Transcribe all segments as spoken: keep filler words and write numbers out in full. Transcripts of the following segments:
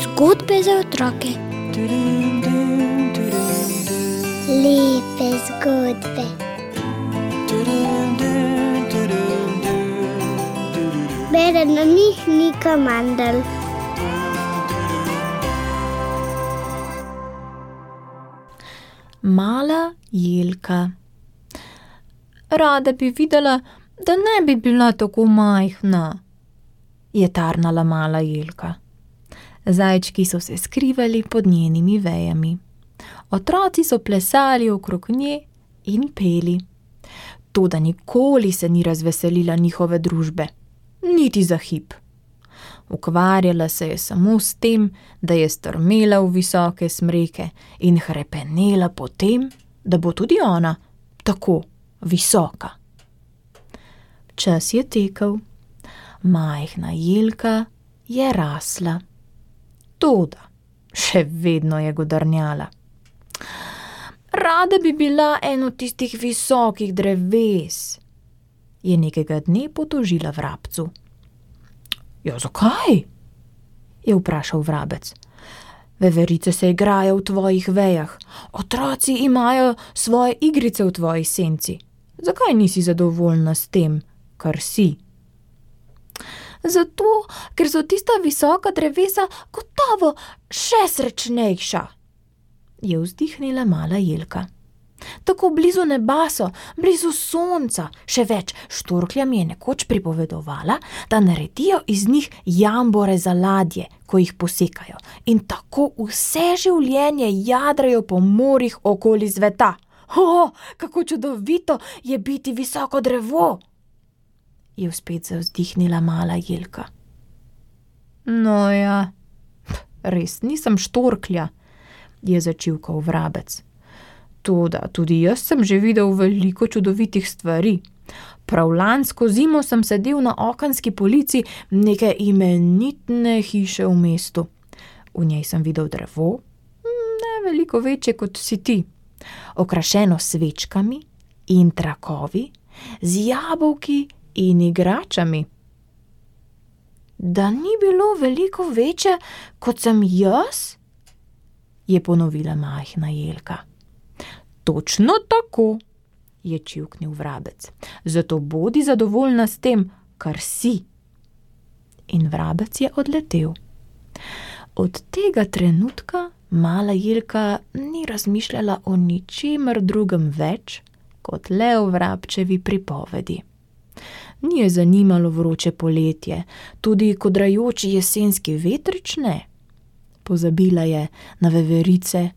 Zgodbe za otroke. Lepe zgodbe. Bere na njih Nika Mandl. Mala Jelka. Rada bi videla, da ne bi bila tako majhna, je tarnala mala Jelka. Zajčki so se skrivali pod njenimi vejami. Otroci so plesali okrog nje in peli. Toda nikoli se ni razveselila njihove družbe, niti za hip. Ukvarjala se je samo s tem, da je strmela v visoke smreke in hrepenela po tem, da bo tudi ona tako visoka. Čas je tekel, majhna Jelka je rasla. Toda še vedno je godrnjala. Rada bi bila eno tistih visokih dreves, je nekega dne potožila vrabcu. Ja, zakaj? Je vprašal vrabec. Veverice se igrajo v tvojih vejah, otroci imajo svoje igrice v tvoji senci. Zakaj nisi zadovoljna s tem, kar si? Zato, ker so tista visoka drevesa gotovo še srečnejša, je vzdihnila mala Jelka. Tako blizu neba so, blizu sonca, še več, štorklja mi je nekoč pripovedovala, da naredijo iz njih jambore za ladje, ko jih posekajo, in tako vse življenje jadrajo po morjih okoli sveta. O, kako čudovito je biti visoko drevo, je spet zavzdihnila mala Jelka. No ja, res nisem štorklja, je začivkal vrabec. Toda tudi jaz sem že videl veliko čudovitih stvari. Prav lansko zimo sem sedel na okenski polici neke imenitne hiše v mestu. V njej sem videl drevo, ne veliko večje kot si ti, okrašeno s svečkami in trakovi, z jabolki in igračami. Da ni bilo veliko večje, kot sem jaz, je ponovila majhna Jelka. Točno tako, je čivknil vrabec. Zato bodi zadovoljna s tem, kar si. In vrabec je odletel. Od tega trenutka mala Jelka ni razmišljala o ničemer drugem več, kot le o vrabčevi pripovedi. Ni je zanimalo vroče poletje, tudi kodrajoči jesenski vetrič ne. Pozabila je na veverice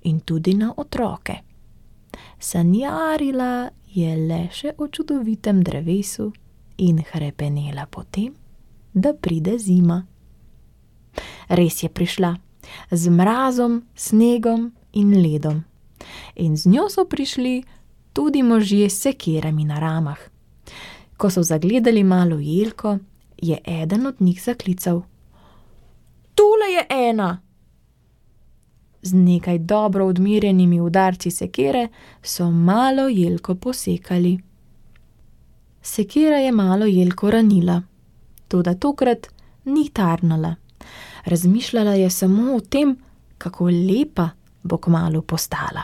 in tudi na otroke. Sanjarila je le še o čudovitem drevesu in hrepenela po tem, da pride zima. Res je prišla, z mrazom, snegom in ledom. In z njo so prišli tudi možje s sekirami na ramah. Ko so zagledali malo Jelko, je eden od njih zaklical: Tule je ena! Z nekaj dobro odmerjenimi udarci sekire so malo Jelko posekali. Sekira je malo Jelko ranila, toda tokrat ni tarnala. Razmišljala je samo o tem, kako lepa bo kmalu postala.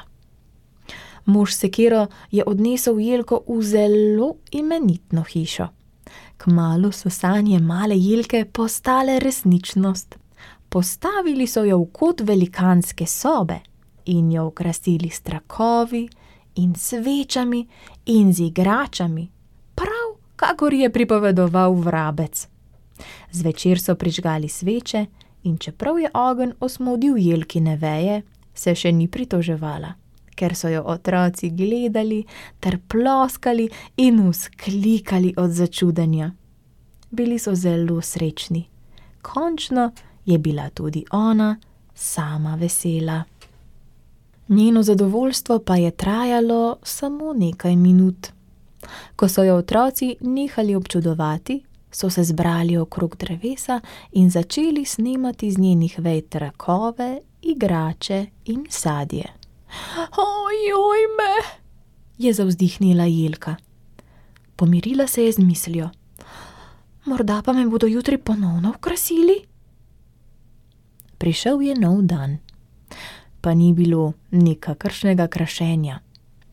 Mož s sekiro je odnesel Jelko v zelo imenitno hišo. Kmalu so sanje male Jelke postale resničnost. Postavili so jo v kot velikanske sobe in jo okrasili s trakovi in svečami in z igračami, prav kakor je pripovedoval vrabec. Zvečer so prižgali sveče in čeprav je ogenj osmodil Jelkine veje, se še ni pritoževala, ker so jo otroci gledali ter ploskali in vzklikali od začudenja. Bili so zelo srečni. Končno je bila tudi ona sama vesela. Njeno zadovoljstvo pa je trajalo samo nekaj minut. Ko so jo otroci nehali občudovati, so se zbrali okrog drevesa in začeli snemati z njenih vej trakove, igrače in sadje. Ojoj me, je zavzdihnila Jelka. Pomirila se je z mislijo. Morda pa me bodo jutri ponovno okrasili? Prišel je nov dan, pa ni bilo nikakršnega krašenja,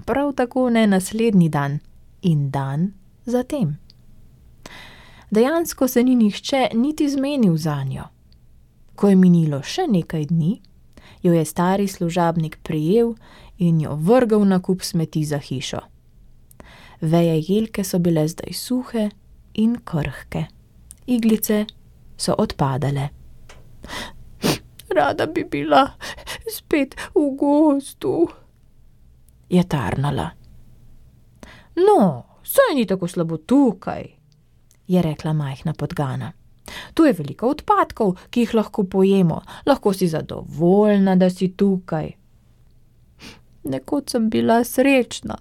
prav tako ne naslednji dan in dan zatem. Dejansko se ni nihče niti zmenil zanjo. Ko je minilo še nekaj dni, jo je stari služabnik prijel in jo vrgel na kup smeti za hišo. Veje jelke so bile zdaj suhe in krhke. Iglice so odpadale. Rada bi bila spet v gozdu, je tarnala. No, saj ni tako slabo tukaj, je rekla majhna podgana. Tu je veliko odpadkov, ki jih lahko pojemo. Lahko si zadovoljna, da si tukaj. Nekoč sem bila srečna,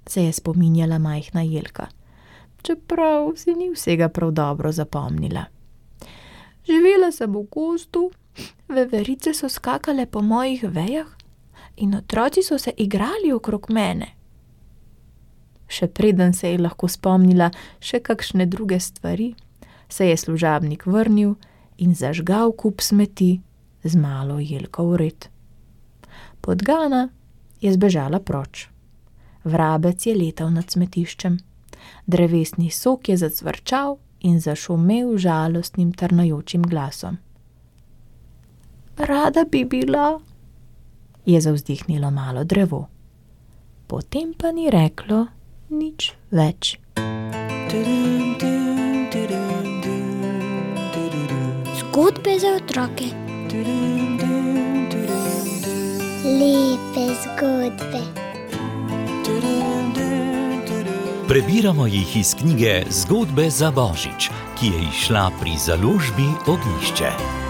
se je spominjala majhna jelka, čeprav si ni vsega prav dobro zapomnila. Živela sem v gozdu, veverice so skakale po mojih vejah in otroci so se igrali okrog mene. Še preden se je lahko spomnila še kakšne druge stvari, se je služabnik vrnil in zažgal kup smeti z malo jelko vred. Podgana je zbežala proč. Vrabec je letal nad smetiščem. Drevesni sok je zacvrčal in zašumel žalostnim trnajočim glasom. Rada bi bila, je zavzdihnilo malo drevo. Potem pa ni reklo nič več. Zgodbe za otroke. Lepe zgodbe. Prebiramo jih iz knjige Zgodbe za Božič, ki je izšla pri založbi Ognjišče.